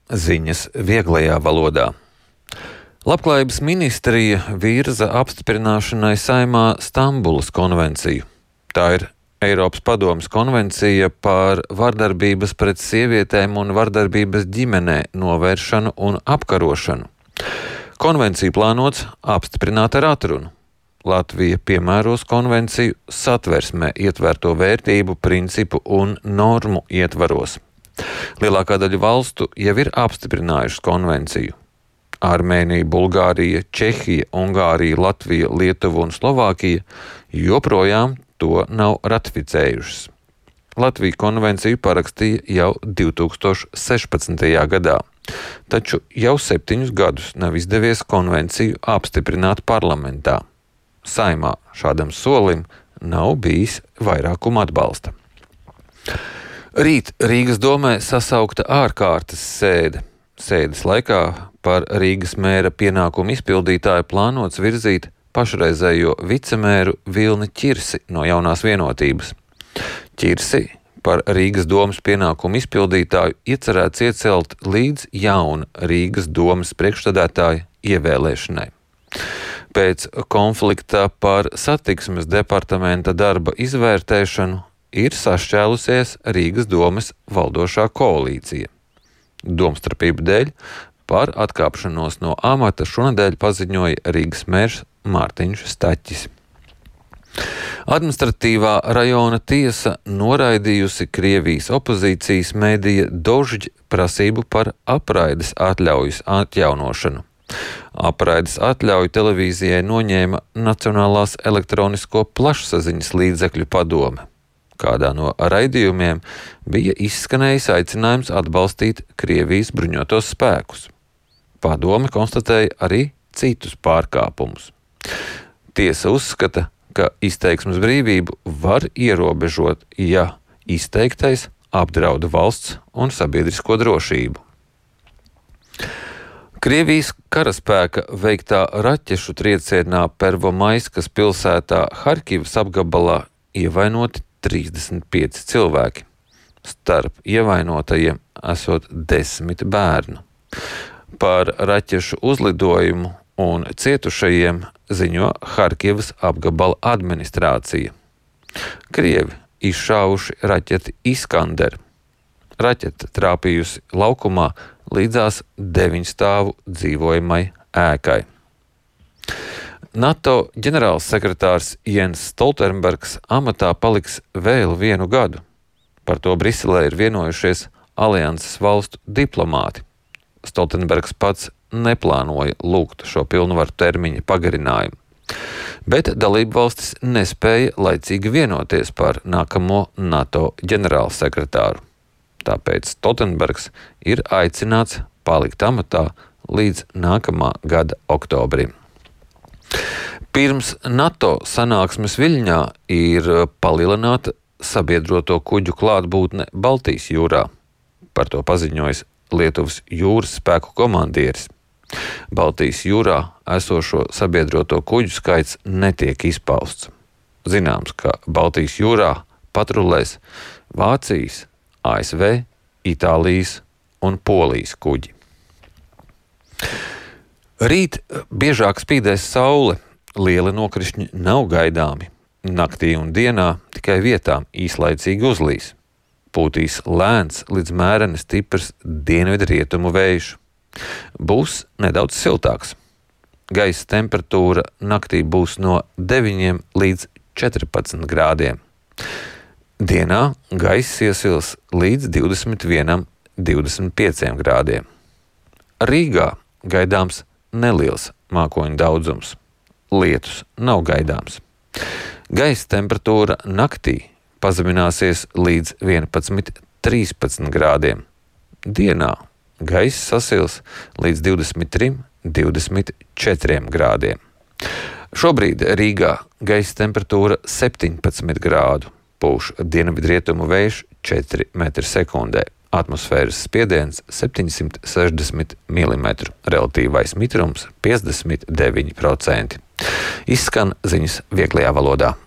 Ziņas vieglajā valodā. Labklājības ministrija virza apstiprināšanai Saeimā Stambulas konvenciju. Tā ir Eiropas padomes konvencija par vardarbības pret sievietēm un vardarbības ģimenē novēršanu un apkarošanu. Konvenciju plānots apstiprināt ar atrunu. Latvija piemēros konvenciju satversmē ietverto vērtību, principu un normu ietvaros. Lielākā daļa valstu jau ir apstiprinājušas konvenciju. Armēnija, Bulgārija, Čehija, Ungārija, Latvija, Lietuva un Slovākija joprojām to nav ratificējušas. Latvija konvenciju parakstīja jau 2016. gadā, taču jau 7 gadus nav izdevies konvenciju apstiprināt parlamentā. Saeimā šādam solim nav bijis vairākuma atbalsta. Rīt Rīgas domē sasaukta ārkārtas sēde. Sēdes laikā par Rīgas mēra pienākumu izpildītāju plānots virzīt pašreizējo vicemēru Vilni Ķirsi no Jaunās Vienotības. Ķirsi par Rīgas domes pienākumu izpildītāju iecerēts iecelt līdz jauna Rīgas domes priekšsēdētāja ievēlēšanai. Pēc konflikta par satiksmes departamenta darba izvērtēšanu ir sašķēlusies Rīgas domes valdošā koalīcija. Domstarpību dēļ par atkāpšanos no amata šonedēļ paziņoja Rīgas mērs Mārtiņš Staķis. Administratīvā rajona tiesa noraidījusi Krievijas opozīcijas mēdīja Dožģa prasību par apraides atļaujas atjaunošanu. Apraides atļauju televīzijai noņēma Nacionālās elektronisko plašsaziņas līdzekļu padome. Kādā no raidījumiem bija izskanējis aicinājums atbalstīt Krievijas bruņotos spēkus. Padome konstatēja arī citus pārkāpumus. Tiesa uzskata, ka izteiksmes brīvību var ierobežot, ja izteiktais apdraud valsts un sabiedrisko drošību. Krievijas karaspēka veiktā raķešu triecienā Pervomaiskas pilsētā Harkivas apgabalā ievainoti 35 cilvēki. Starp ievainotajiem esot 10 bērnu. Par raķešu uzlidojumu un cietušajiem ziņo Harkivas apgabala administrācija. Krievi izšāvuši raķeti Iskander. Raķete trāpījusi laukumā līdzās 9 stāvu dzīvojamai ēkai. NATO ģenerālsekretārs Jens Stoltenbergs amatā paliks vēl 1 gadu. Par to Briselē ir vienojušies alianses valstu diplomāti. Stoltenbergs pats neplānoja lūgt šo pilnvaru termiņa pagarinājumu, bet dalību valstis nespēja laicīgi vienoties par nākamo NATO ģenerālsekretāru. Tāpēc Stoltenbergs ir aicināts palikt amatā līdz nākamā gada oktobrim. Pirms NATO sanāksmes Viļņā ir palielināta sabiedroto kuģu klātbūtne Baltijas jūrā. Par to paziņojis Lietuvas jūras spēku komandieris. Baltijas jūrā esošo sabiedroto kuģu skaits netiek izpausts. Zināms, ka Baltijas jūrā patrulēs Vācijas, ASV, Itālijas un Polijas kuģi. Rīt biežāk spīdēs saule, lieli nokrišņi nav gaidāmi. Naktī un dienā tikai vietām īslaicīgi uzlīs. Pūtīs lēns līdz mēreni stiprs dienvidrietumu vējš. Būs nedaudz siltāks. Gaisa temperatūra naktī būs no 9 līdz 14 grādiem. Dienā gaiss iesils līdz 21, 25 grādiem. Rīgā gaidāms neliels mākoņu daudzums. Lietus nav gaidāms. Gaisa temperatūra naktī pazemināsies līdz 11, 13 grādiem. Dienā gaiss sasils līdz 23, 24 grādiem. Šobrīd Rīgā gaisa temperatūra 17 grādu. Pūš dienvidrietumu vējš 4 m/sekundē. Atmosfēras spiediens 760 mm, relatīvais mitrums 59%. Izskan ziņas vieglajā valodā.